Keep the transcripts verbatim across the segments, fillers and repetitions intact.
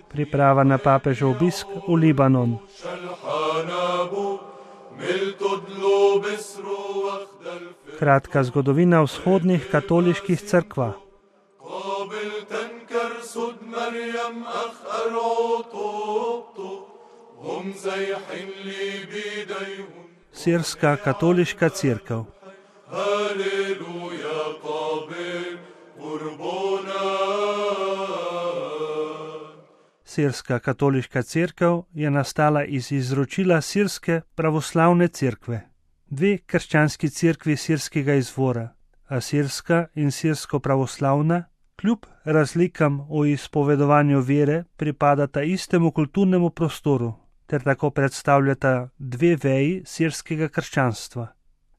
Priprava na papežev obisk v Libanon. Kratka zgodovina vzhodnih katoliških cerkva. Sirska katoliška cerkev. Sirska katoliška cerkev je nastala iz izročila Sirske pravoslavne cerkve. Dve krščanski cerkvi sirskega izvora, asirska in sirsko-pravoslavna, kljub razlikam v izpovedovanju vere pripadata istemu kulturnemu prostoru ter tako predstavljata dve veji sirskega krščanstva.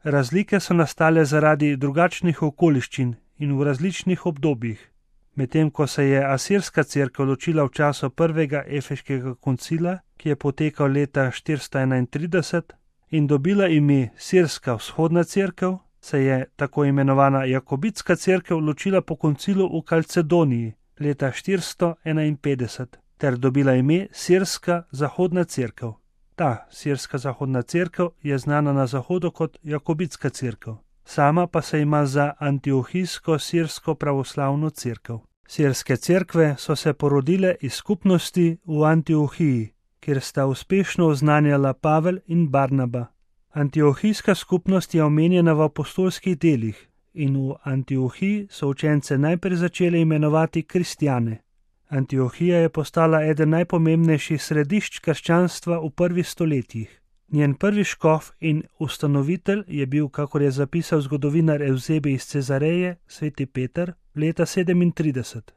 Razlike so nastale zaradi drugačnih okoliščin in v različnih obdobjih. Medtem ko se je asirska cerkev ločila v času prvega efeškega koncila, ki je potekal leta štiristo enaintrideset, in dobila ime Sirska vzhodna cerkev, se je tako imenovana Jakobitska cerkev ločila po koncilu v Kalcedoniji leta štiristo enainpetdeset ter dobila ime Sirska zahodna cerkev. Ta Sirska zahodna cerkev je znana na zahodu kot Jakobitska cerkev. Sama pa se ima za antiohijsko sirsko pravoslavno cerkev. Sirske cerkve so se porodile iz skupnosti v Antiohiji, kjer sta uspešno oznanjala Pavel in Barnaba. Antiohijska skupnost je omenjena v apostolskih delih in v Antiohiji so učence najprej začeli imenovati kristjane. Antiohija je postala eden najpomembnejših središč krščanstva v prvih stoletjih. Njen prvi škof in ustanovitelj je bil, kakor je zapisal zgodovinar Evzebi iz Cezareje, sveti Peter, leta sedemintrideset.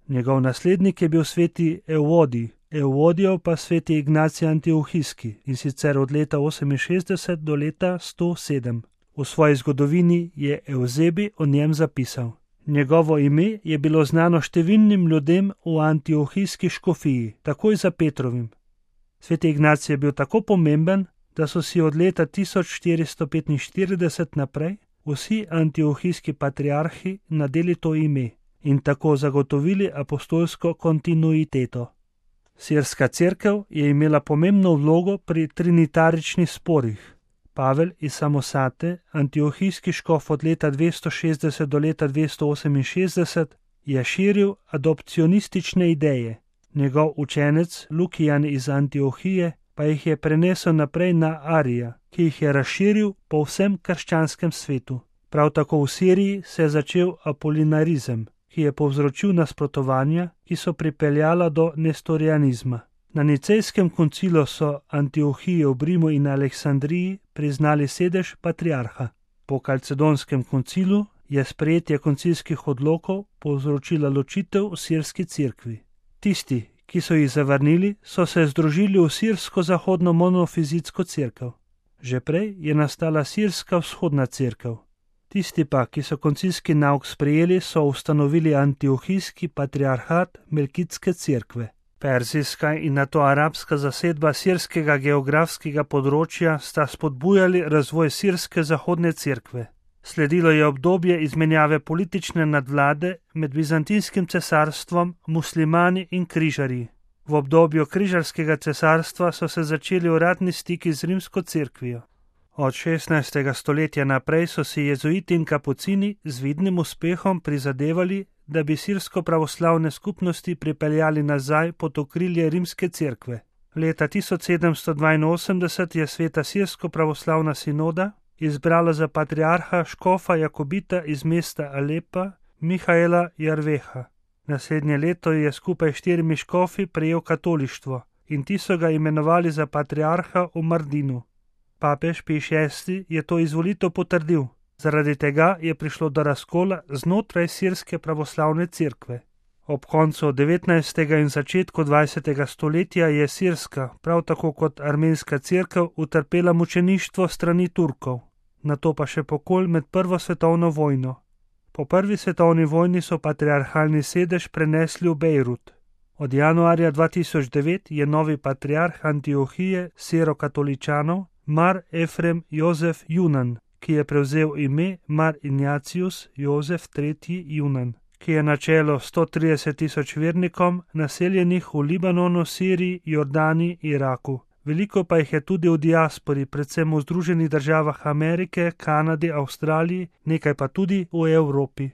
Njegov naslednik je bil sveti Evodij, Evodijov pa sveti Ignacij Antiohijski, in sicer od leta oseminšestdeset do leta sto sedem. V svoji zgodovini je Evzebi o njem zapisal: njegovo ime je bilo znano številnim ljudem v antiohijski škofiji, takoj za Petrovim. Sveti Ignacij je bil tako pomemben, da so si od leta tisoč štiristo petinštirideset naprej vsi antiohijski patriarhi nadeli to ime in tako zagotovili apostolsko kontinuiteto. Sirska cerkev je imela pomembno vlogo pri trinitaričnih sporih. Pavel iz Samosate, antiohijski škof od leta dvesto šestdeset do leta dvesto oseminšestdeset, je širil adopcionistične ideje. Njegov učenec Lukijan iz Antiohije pa jih je prenesel naprej na Arija, ki jih je razširil po vsem krščanskem svetu. Prav tako v Siriji se je začel apolinarizem, ki je povzročil nasprotovanja, ki so pripeljala do nestorijanizma. Na nicejskem koncilu so Antiohiji v Rimu in Aleksandriji priznali sedež patriarha. Po kalcedonskem koncilu je sprejetje koncilskih odlokov povzročila ločitev v sirski cerkvi. Tisti, ki so jih zavrnili, so se združili v sirsko-zahodno monofizitsko cerkev. Že prej je nastala sirska vzhodna cerkev. Tisti pa, ki so koncilski nauk sprejeli, so ustanovili antiohijski patriarhat Melkitske cerkve. Perzijska in nato arabska zasedba sirskega geografskega področja sta spodbujali razvoj sirske zahodne cerkve. Sledilo je obdobje izmenjave politične nadvlade med Bizantinskim cesarstvom, muslimani in križarji. V obdobju križarskega cesarstva so se začeli uradni stiki z rimsko cerkvijo. Od šestnajstega stoletja naprej so si jezuiti in kapucini z vidnim uspehom prizadevali, da bi sirsko-pravoslavne skupnosti pripeljali nazaj pod okrilje rimske cerkve. Leta tisoč sedemsto dvainosemdeset je sveta sirsko-pravoslavna sinoda izbrala za patriarha škofa Jakobita iz mesta Alepa Mihaela Jarveha. Naslednje leto je skupaj štirimi škofi prejel katolištvo in ti so ga imenovali za patriarha v Mardinu. Papež Pij šesti je to izvolitev potrdil. Zaradi tega je prišlo do razkola znotraj sirske pravoslavne cerkve. Ob koncu devetnajstega in začetku dvajsetega stoletja je sirska, prav tako kot armenska cerkev, utrpela mučeništvo strani Turkov, nato pa še pokol med prvo svetovno vojno. Po prvi svetovni vojni so patriarhalni sedež prenesli v Bejrut. Od januarja dva tisoč devet je novi patriarh Antiohije sirokatoličanov Mar Efrem Jozef Junan, ki je prevzel ime Mar Ignatius Jozef tretji Junan, ki je na čelo sto trideset tisoč vernikom, naseljenih v Libanonu, Siriji, Jordani, Iraku. Veliko pa jih je tudi v diaspori, predvsem v Združenih državah Amerike, Kanadi, Avstraliji, nekaj pa tudi v Evropi.